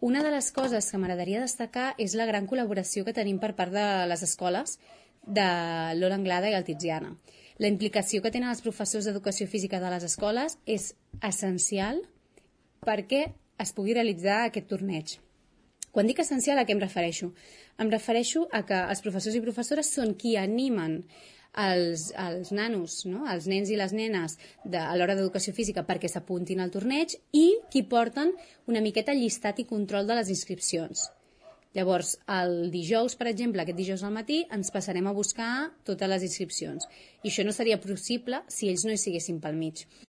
una de les coses que m'agradaria destacar és la gran col·laboració que tenim per part de les escoles de l'Ola Anglada i el Tiziana. La implicació que tenen els professors d'educació física de les escoles és essencial perquè es pugui realitzar aquest torneig. Quan dic essencial, a què em refereixo? Em refereixo a que els professors i professores són qui animen els nanos, no? Els nens i les nenes a l'hora d'educació física perquè s'apuntin al torneig i qui porten una miqueta el llistat i control de les inscripcions. Llavors, el dijous, per exemple, aquest dijous al matí, ens passarem a buscar totes les inscripcions. I això no seria possible si ells no hi siguessin pel mig.